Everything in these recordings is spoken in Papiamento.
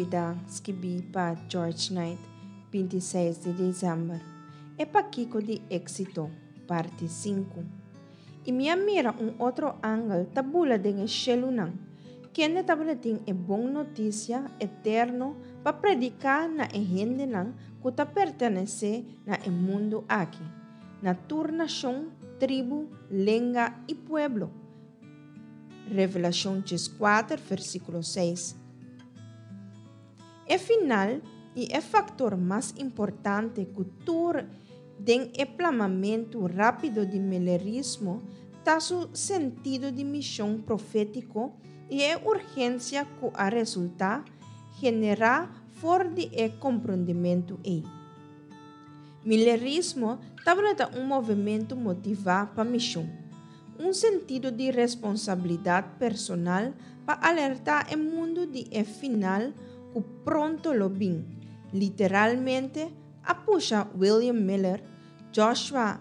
Lubidá, skibí pa George Knight, 26 di desèmber. E Pakiko di Éksito, parti sinku. I mi a mira un otro angel ta bula den e shelunan, kende tabatin e bon notisia eterno pa prediká na e hendenan ku ta pertenesé na e mundu aki, na tur nashon, tribu, lenga i pueblo. Revelashon 14, versíkulo 6. E final i e faktor mas importante ku tur den e plamamentu rápido di milerismo ta su sentido di mishon profétiko i e urgensia ku a resultá generá for di e komprondementu ei. Milerismo tabata un movementu motivá pa mishon, un sentido di responsabilidat personal pa alertá e mundu di e final ku pronto lo bin, literalmente a pusha William Miller, Joshua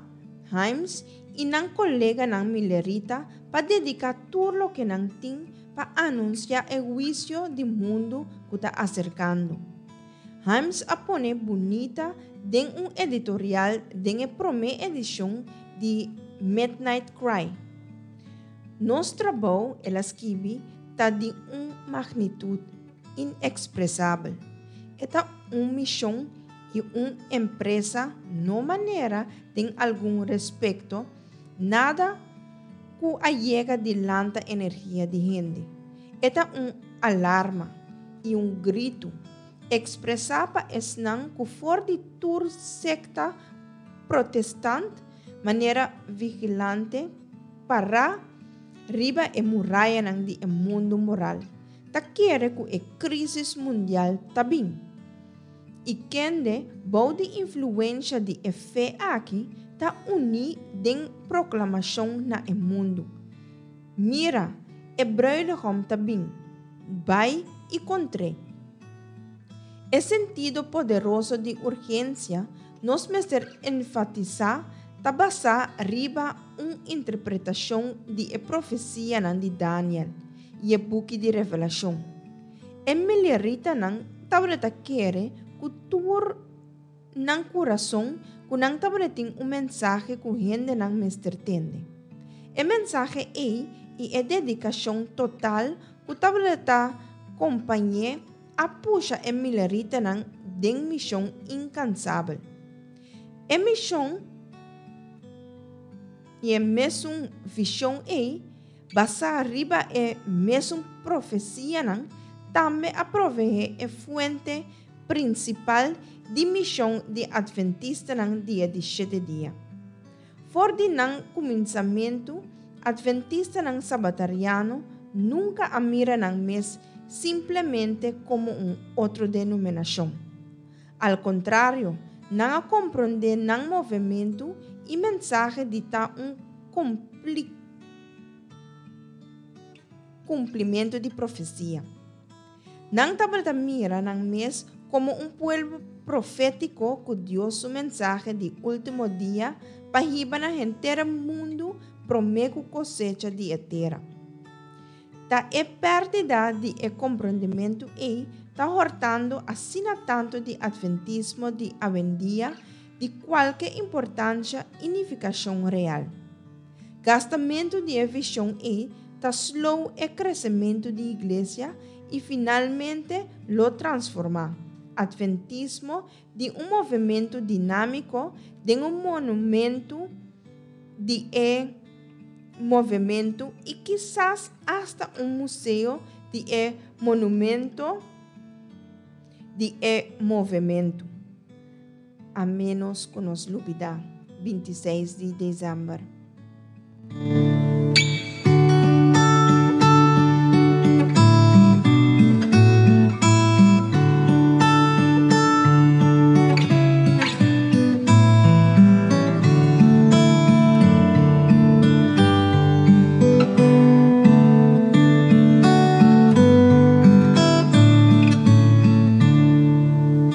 Himes i nan koleganan milerita pa dediká tur loke nan tin pa anunsiá e huisio di mundu ku ta aserkando. Himes a pone bunita den un editorial den e promé edishon di Midnight Cry. Nos trabou, el a skibi, ta di un magnitut inekspresabel. E ta un mishon i un empresa no manera den algun respekto nada ku a yega di lanta energia di hende. E ta un alarma i un gritu ekspresá pa esnan ku for di tur sekta protestant manera vigilante pará riba e murayanan di e mundu moral ta kere ku e krísis mundial ta bin. I kende bou di influensha di e fe aki ta uní den proklamashon na e mundu, Mira, e brùidegòm ta bin! Bai i kontr'é! E sentido poderoso di urgensia nos mester enfatisá ta basá riba un interpretashon di e profesianan di Daniel i e buki di Revelashon. E mileritanan tabata kere ku tur nan kurason ku nan tabatin un mensahe ku hendenan mester tende. E mensahe ei i e dedikashon total ku tabata kompañ'é a pusha e mileritanan den mishon inkansabel. E mishon i e mesun vishon ei, basá riba e mesun profesianan, tambe a proveé e fuente prinsipal di mishon di Atventistanan di e di shete dia. For di nan kuminsamentu, Atventistanan Sabatariano nunka a mira nan mes simplemente komo un otro denominashon. Al kontrario, nan a komprondé nan movementu i mensahe di ta un kumplimentu di profesia. Nan tabata mira nan mes komo un pueblo profétiko ku Dios su mensahe di último dia pa hiba na henter e mundu promé ku kosecha di e tera. Ta e pèrdida di e komprondementu ei ta hòrtando asina tantu di atventismo di awendia di kualke importansha i nifikashon real. Gastamentu di e vishon ei ta slow e kresementu di iglesia i finalmente lo transformá atventismo di un movementu dinámiko den un monumentu di e movementu i kisas asta un museo di e monumento di e movementu. A ménos ku nos lubidá, 26 di desèmber.